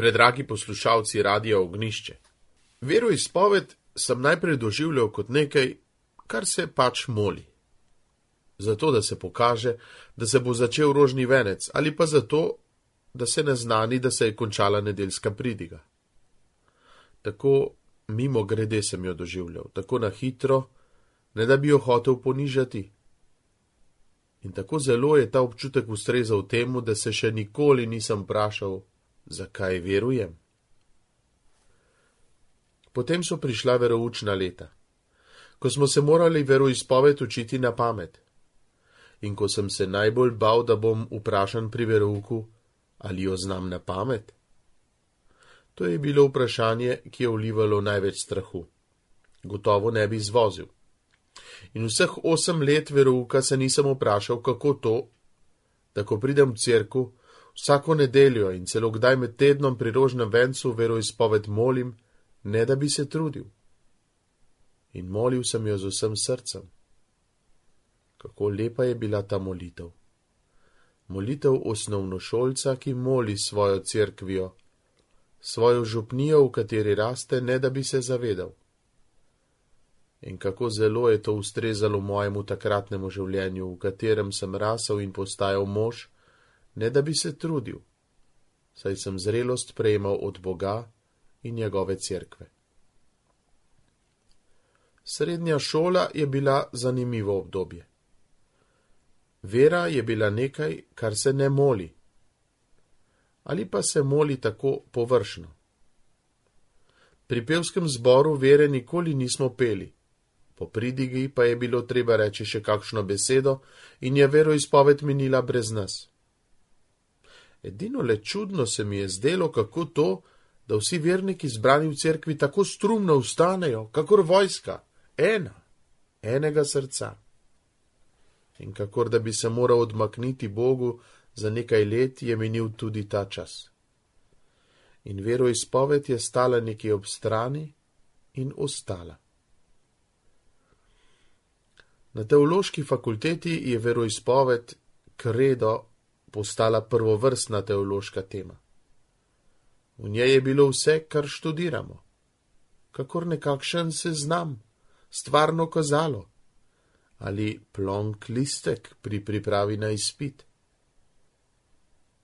Predragi poslušalci Radia Ognjišče. Veroizpoved sem najprej doživljal kot nekaj, kar se pač moli. Zato, da se pokaže, da se bo začel rožni venec, ali pa zato, da se naznani, da se je končala nedeljska pridiga. Tako mimo grede sem jo doživljal, tako na hitro, ne da bi jo hotel ponižati. In tako zelo je ta občutek ustrezal temu, da se še nikoli nisem vprašal, zakaj verujem. Potem so prišla veroučna leta, ko smo se morali veroizpoved učiti na pamet. In ko sem se najbolj bal, da bom vprašan pri verouku, ali jo znam na pamet. To je bilo vprašanje, ki je vlivalo največ strahu. Gotovo ne bi zvozil. In vseh 8 let verouka se nisem vprašal, kako to, da ko pridem v cerkev, vsako nedeljo in celo kdaj med tednom pri rožnem vencu veroizpoved molim, ne da bi se trudil. In molil sem jo z vsem srcem. Kako lepa je bila ta molitev. Molitev osnovnošolca, ki moli svojo cerkvijo, svojo župnijo, v kateri raste, ne da bi se zavedal. In kako zelo je to ustrezalo mojemu takratnemu življenju, v katerem sem rasel in postajal mož, ne da bi se trudil, saj sem zrelost prejemal od Boga in njegove cerkve. Srednja šola je bila zanimivo obdobje. Vera je bila nekaj, kar se ne moli. Ali pa se moli tako površno. Pri pevskem zboru vere nikoli nismo peli. Po pridigi pa je bilo treba reči še kakšno besedo in je veroizpoved minila brez nas. Edino le čudno se mi je zdelo, kako to, da vsi verniki zbrani v cerkvi tako strumno vstanejo, kakor vojska, enega srca. In kakor da bi se moral odmakniti Bogu, za nekaj let je minil tudi ta čas. In veroizpoved je stala nekje ob strani in ostala. Na teološki fakulteti je veroizpoved, kredo, postala prvovrstna teološka tema. V njej je bilo vse, kar študiramo. Kakor nekakšen seznam, stvarno kazalo. Ali plonk listek pri pripravi na izpit.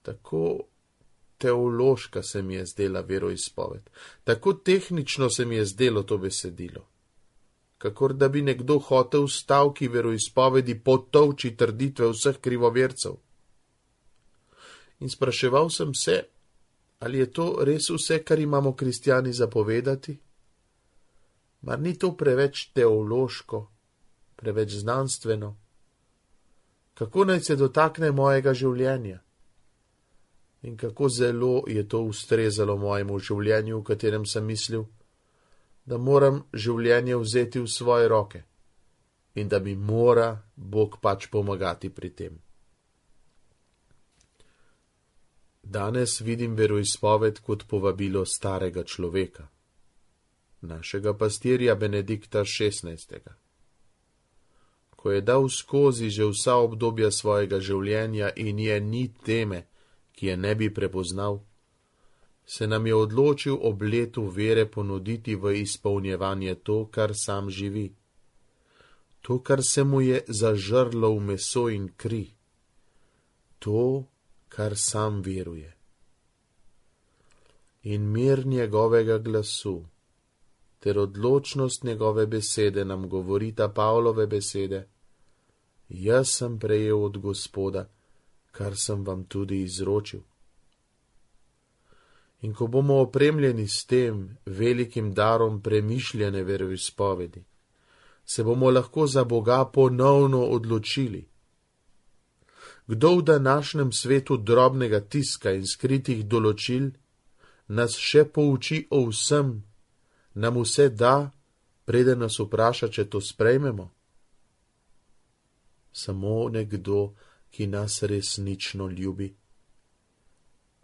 Tako teološka se mi je zdela veroizpoved, tako tehnično se mi je zdelo to besedilo, kakor da bi nekdo hotel v stavki veroizpovedi potolči trditve vseh krivovercev. In spraševal sem se, ali je to res vse, kar imamo kristjani zapovedati? Mar ni to preveč teološko, preveč znanstveno? Kako naj se dotakne mojega življenja? In kako zelo je to ustrezalo mojemu življenju, v katerem sem mislil, da moram življenje vzeti v svoje roke in da mi mora Bog pač pomagati pri tem. Danes vidim veroizpoved kot povabilo starega človeka, našega pastirja Benedikta XVI. Ko je dal skozi že vsa obdobja svojega življenja in je ni teme, ki je ne bi prepoznal, se nam je odločil ob letu vere ponuditi v izpolnjevanje to, kar sam živi. To, kar se mu je zažrlo v meso in kri. To, kar sam veruje. In mir njegovega glasu ter odločnost njegove besede nam govorita Pavlove besede. Jaz sem prejel od Gospoda, kar sem vam tudi izročil. In ko bomo opremljeni s tem velikim darom premišljene veroizpovedi, se bomo lahko za Boga ponovno odločili. Kdo v današnjem svetu drobnega tiska in skritih določil nas še pouči o vsem, nam vse da, preden nas vpraša, če to sprejmemo? Samo nekdo, ki nas resnično ljubi.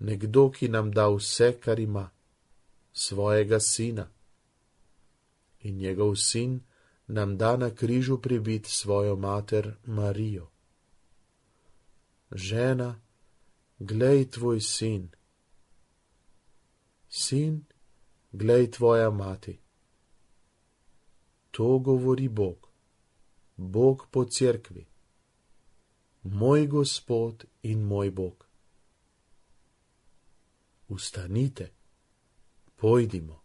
Nekdo, ki nam da vse, kar ima, svojega sina. In njegov sin nam da na križu pribit svojo mater Marijo. Žena, glej tvoj sin. sin, glej tvoja mati. To govori Bog, Bog po cerkvi, moj Gospod in moj Bog. Vstanite, pojdimo.